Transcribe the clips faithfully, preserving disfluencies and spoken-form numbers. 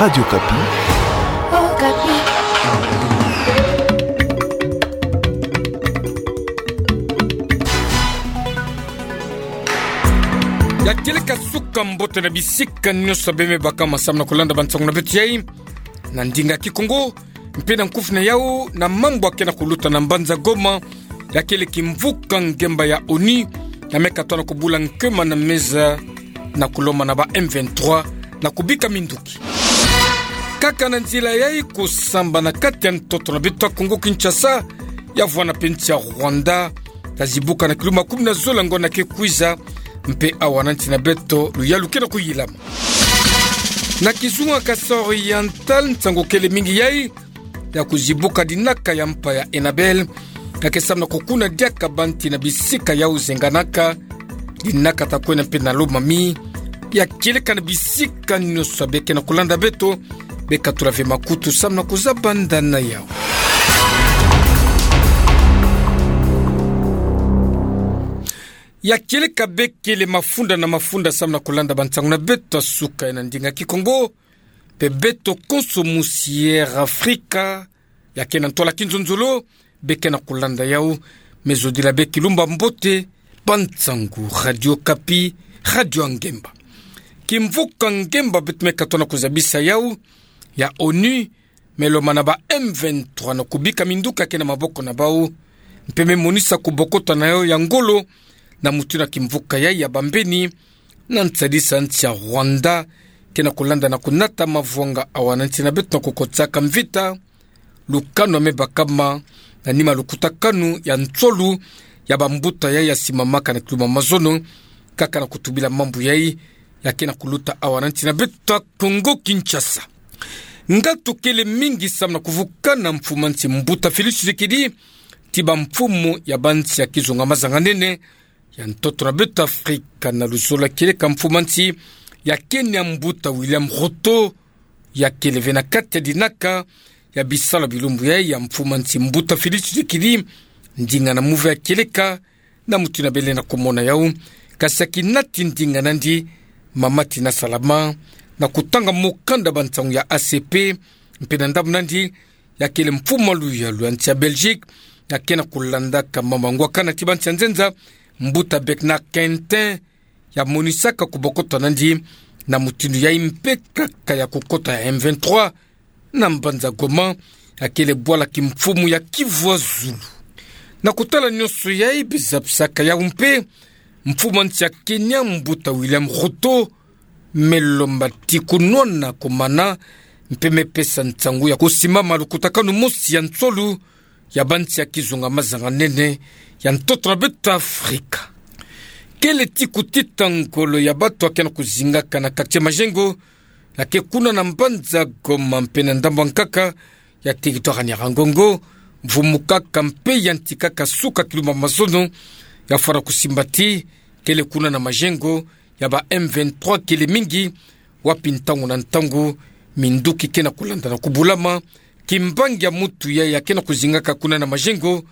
Radio Okapi. Ya kieleka suka mbote na bisika nyonso beme baka masamu na kulanda bansangu na beto yai na ndinga Kikongo, mpe na nkufi na yau na mambu ya ke na kuluta na mbanza Goma, ya kieleka kimvuka ngemba ya ONU, ya me katoa na kubula nkema na meza na kulomba na ba M vingt-trois na kubika minduki. Kaka na nzila yai, kusamba na kati ya ntoto na beto ya Kongo Kinshasa, ya vwanda mpe nsi ya Rwanda, ya zibuka na kilo makumi na zole ngonda ke kwiza, mpe awa na nsi na beto luyalu ke na kuyilama. Na kizunga Kasaï Oriental, nsangu kele mingi yai ya kuzibuka dinaka ya mpa ya Enabel, ya ke samu na kukuna diaka banti na bisika yau zenganaka, dinaka ta kwenda mpe na Lomami, ya kieleka na bisika nyonso beke na kulanda beto, beka tula ve makutu samu na kuzaba ndana yau. Ya kieleka bekele mafunda na mafunda samu na kulanda bansangu na beto ya suka na ndinga Kikongo, mpe beto konso musi Air Afrika, ya ke na ntwala kinzonzolo, beke na kulanda yau. Me zodila bê kilumba mbote, bansangu Radio Okapi, radio ya ngemba. Kimvuka ngemba beto me katoa na kuzabisa yau, ya ONU me lomba na ba M vingt-trois na kubika minduki ya ke na maboko na bau, mpe me monisa kubokota na yau ya ngolo na mutindu ya kimvuka yai ya bambeni, na nsadisa nsi ya Rwanda ke na kulanda na kunata mavwanga awa na nsi na beto na kukotisaka mvita lukanu ya me bakama na nima lukutakanu ya nsolo ya bambuta yai ya simamaka na kilo mamazono. Kaka na kutubila mambu yai, ya ke na kuluta awa na nsi na beto ya Kongo Kinshasa. Ngatu kele mingi samu na kuvukana mfumu ya nsi mbuta Félix Tshisekedi, ti bamfumu ya bansi ya kizunga mazanga nene ya ntoto na beto Afrika, na luzolo ya kieleka mfumu ya nsi ya Kenya mbuta William Ruto, ya kele ve na kati ya dinaka ya bisalu ya bilumbu yai ya mfumu ya nsi mbuta Félix Tshisekedi, ndinga na muve ya kieleka, na mutindu bele na kumona yau. Kasi ya kinati ndinga nandi, mama Tina Salama, na kutanga mukanda bansangu ya A C P, mpe na ndambu nandi, ya kele mfumu ya luyalu ya nsi ya Belgique, ya ke na kulandaka mama ngwakana ti bansi ya nzenza, mbuta Bernard Quentin, ya monisaka kubokota nandi na mutindu yai mpe kaka ya kukota ya M vingt-trois na mbanza Goma, ya kele bwala kimfumu ya Kivu ya Zulu. Na kutala nyonso yai, biza bisaka yau mpe, mfumu ya nsi ya Kenya mbuta William Ruto me lomba ti kunwana kumana, mpe me pesa nsangu ya kusimama lukutakanu mosi ya nsolo ya bansi ya kizunga mazanga nene ya ntoto na beto Afrika. Kele ti kutita ngolo ya bato ya ke na kuzingaka na quartier Majengo, ya ke kuna na mbanza Goma mpe na ndambu ya nkaka ya territoire Nyiragongo, mvumukaka mpe yantikaka suka kilo mamazono, ya fwana kusimba ti kele kuna na Majengo ya ba M vingt-trois kele mingi, wapi ntangu na ntangu minduki ke na kulanda na kubulama. Kimbangi ya mutu yai ya ke na kuzingaka kuna na Majengo,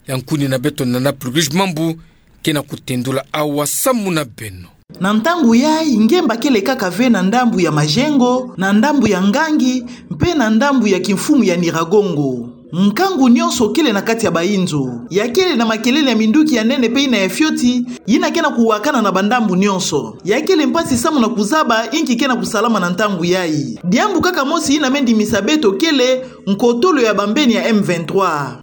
ya nkuni na beto Nana Pluguish Mambu ke na kutendula awa samu na beno. Na ntangu yai, ngemba kele kaka ve na ndambu ya Majengo, na ndambu ya Ngangi, mpe na ndambu ya kimfumu ya Nyiragongo. Nkangu nyonso kele na kati ya bainzo. Ya kele na makelele ya minduki ya nene mpe yina ya fioti, yina ke na kuwakana na bandambu nyonso. Ya kele mpasi samu na kuzaba inki ke na kusalama na ntangu yai. Diambu kaka mosi yina me ndimisa beto kele nkotolo ya bambeni ya M vingt-trois.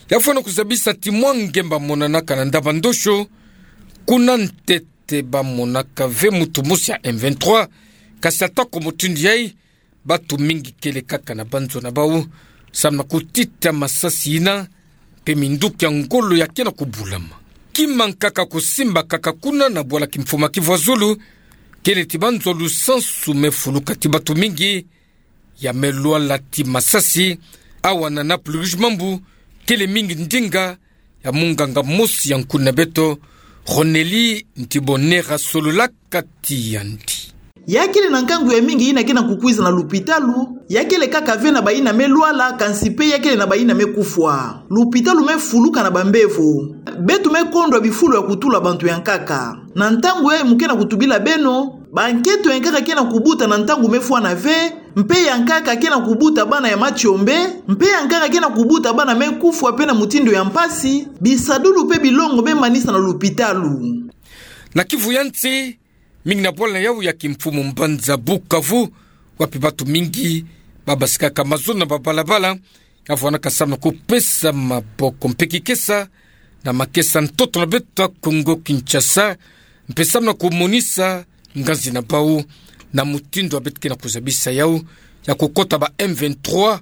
Ya fwana kuzabisa ti mwa ngemba monanaka na ndambu ya ndosho, kuna ntete bamonaka ve mutu mosi ya M vingt-trois, kasi ata ko mutindu yai, bato mingi kele kaka na banzo na bau, samu na kutita masasi yina, mpe minduki ya ngolo ya ke na kubulama. Kima nkaka kusimba kaka kuna na bwala kimfumu ya Kivu ya Zulu, kele ti banzo lusansu me fuluka ti bato mingi, ya me lwala ti masasi. Awa Nana Pluguish Mambu, kele mingi ndinga ya munganga mosi ya nkuni na beto, Ronelly Ntibonera, sololaka ti yandi. Ya kele na nkangu ya mingi yina ke na kukwiza na lupitalu, ya kele kaka ve na bayina me lwala, kansi mpe ya kele na bayina me kufwa. Lupitalu me fuluka na bambevo. Beto me kondwa bifulu ya kutula bantu ya nkaka. Na ntangu yai mu ke na kutubila beno, Bankento ya nkaka ke na kubuta na ntangu me fwana ve, mpe ya nkaka ke na kubuta bana ya matiombe, mpe ya nkaka ke na kubuta bana me kufwa mpe na mutindu ya mpasi, bisadulu mpe bilongo me manisa na lupitalu. Na Kivu ya nsi, mingi na bwala na yau ya kimfumu mbanza Bukavu, wapi batu mingi babasikaka mazono na babalabala, ya vwanaka samu na kupesa maboko mpe kikesa na makesa ntoto na beto ya Kongo Kinshasa, mpe samu na kumonisa nganzi na bau na mutindu ya beto ke na kuzabisa yau ya kukota ba M vingt-trois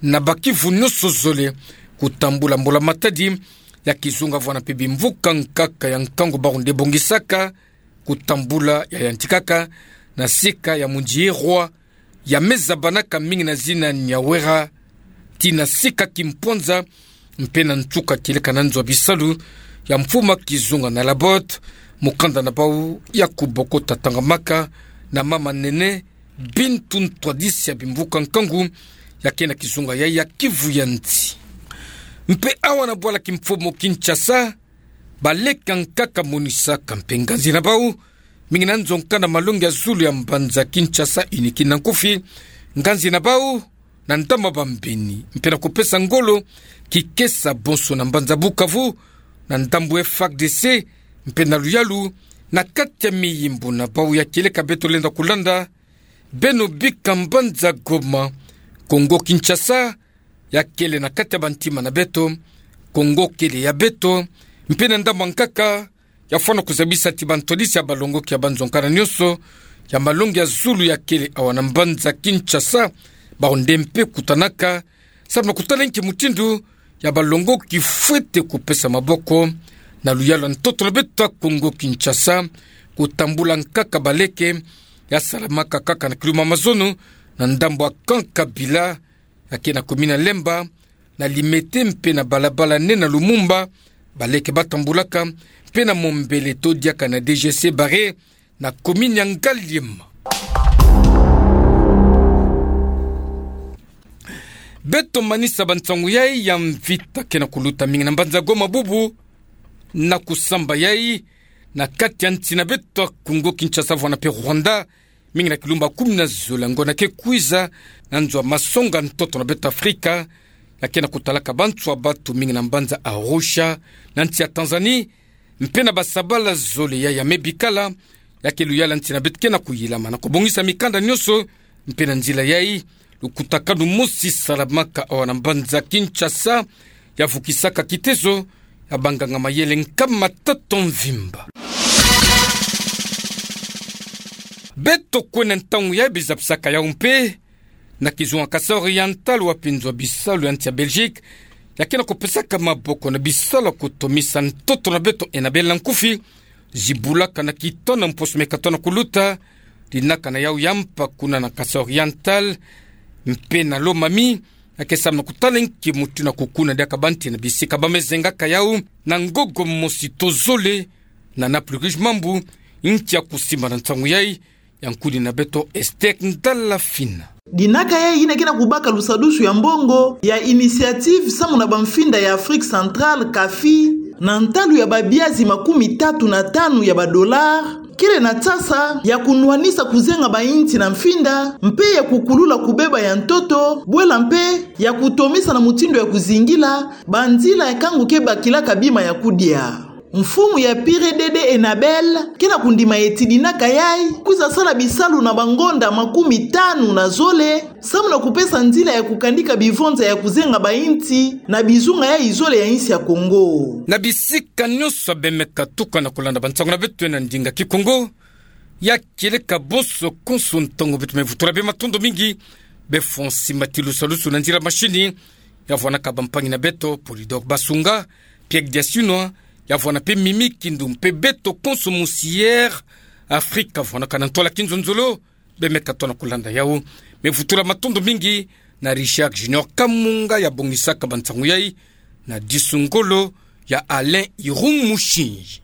na ba Kivu nyonso zole, kutambula mbula-matadi ya kizunga vwana mpe bimvuka nkaka ya nkangu bau nde bongisaka, kutambula ya yantikaka na sika ya Mundjié Roi, ya me zabanaka mingi na zina Nyawera, tii na sika Kimpwanza, mpe na nsuka kieleka na nzo ya bisalu ya mfumu ya kizunga na Labotte, mukanda na bau ya kubokota tangamaka na mama nene Bintou, ntwadisi ya bimvuka nkangu ya ke na kizunga yai ya Kivu ya nsi. Mpe awa na bwala kimfumu Kinshasa, baleke ya nkaka monisaka mpe nganzi na bau, mingi na nzo nkanda malongi ya zulu ya mbanza Kinshasa, iniki na nkufi, nganzi na bau na ndambu ya bambeni, mpe na kupesa ngolo kikesa bonso na mbanza Bukavu, na ndambu F A R D C, mpe na luyalu na kati ya miyimbu na bau ya kieleka beto lenda kulanda. Beno bika mbanza Goma, Kongo Kinshasa ya kele na kati ya bantima na beto, Kongo kele ya beto, mpe na ndambu ya nkaka, ya fwana kuzabisa ti bantwadisi ya balongoki ya banzo nkanda nyonso ya malongi ya zulu ya kele awa na mbanza Kinshasa, bau nde mpe kutanaka, samu na kutala nki mutindu ya balongoki fwete kupesa maboko na luyalu ya ntoto na beto ya Kongo Kinshasa, kutambula nkaka baleke, ya salamaka kaka na kiluma mazono, na ndambu ya camp Kabila, ya ke na commune ya Lemba, na Limete mpe na balabala nene ya Lumumba, baleke batambulaka, mpe na Mombele to diaka na D G C Barré, na commune ya Ngaliema. Beto manisa bansangu yai ya mvita ke na kuluta mingi na mbanza Goma bubu, na kusamba yai na kati ya nsi na beto ya Kongo Kinshasa vwana mpe Rwanda, mingi na kilumba kumi na zole ya ngonda ke kwiza, na nzo ya masonga ntoto na beto Afrika, ya ke na kutalaka banswa batu mingi na mbanza Arusha, na nsi ya Tanzanie, mpe na basabala zole yai ya me bikala, ya ke luyala nsi na beto ke na kuyilama na kubongisa mikanda nyonso, mpe na nzila yai, lukutakanu mosi salamaka awa na mbanza Kinshasa, ya vukisaka kitezo ya banganga mayele nkama tatu mvimba. Beto kwenda ntangu yai bizapisaka yau mpe na kizunga Kasai Oriental, wapi nzo ya bisalu ya nsi ya Belgique ya ke na kupesaka maboko na bisalu ya kutomisa ntoto na beto Enabel na nkufi, zibulaka na kitono mposo meka tona kuluta, dinaka na yau ya mpa kuna na Kasai Oriental, mpe na Lomami, ya ke samu na kutala nki mutindu ya kukuna diaka banti na bisika ba me zengaka yau, na ngogo mosi to zole, na Naples Rouge Mambu, nki ya kusimba na nsangu yai, ya nkuni na beto Esther Ndala Fina. Dinaka yai ina ke na kubaka lusadusu ya mbongo ya Initiative samu na bamfinda ya Afrique Centrale, CAFI, na ntalu ya babiazi makumi tatu na tanu ya ba dollars, kele na nsasa ya kunwanisa kuzenga bainti na mfinda, mpe ya kukulula kubeba ya ntoto, bwela mpe ya kutomisa na mutindu ya kuzingila banzila ya nkangu ke bakilaka bima ya kudia. Mfumu ya Pire Dede Enabel ke na kundima eti dinaka yai kwiza sala bisalu na bangonda makumi tanu na zole, samu na kupesa nzila ya kukandika bivonza ya kuzenga bainti na bizunga yai zole ya insi ya Kongo. Na bisika nyonso be me katuka na kulanda bansangu na beto na ndinga Kikongo, ya kieleka bonso konso ntangu beto me vutula be matondo mingi, be fwa simba ti lusalusu na nzila mashini, ya vwanaka bampangi na beto, Polydor Basunga, Pierre Diasunwa, ya vwana mpe Mimi Kindu mpe beto konso musier Afrika vwanaka na ntwala kinzonzolo, be me katono kulanda yau. Me vutula matondo mingi na Richard Junior Kamunga ya bongisaka bansangu yai, na disu ngolo ya Alain Irung Mushinji.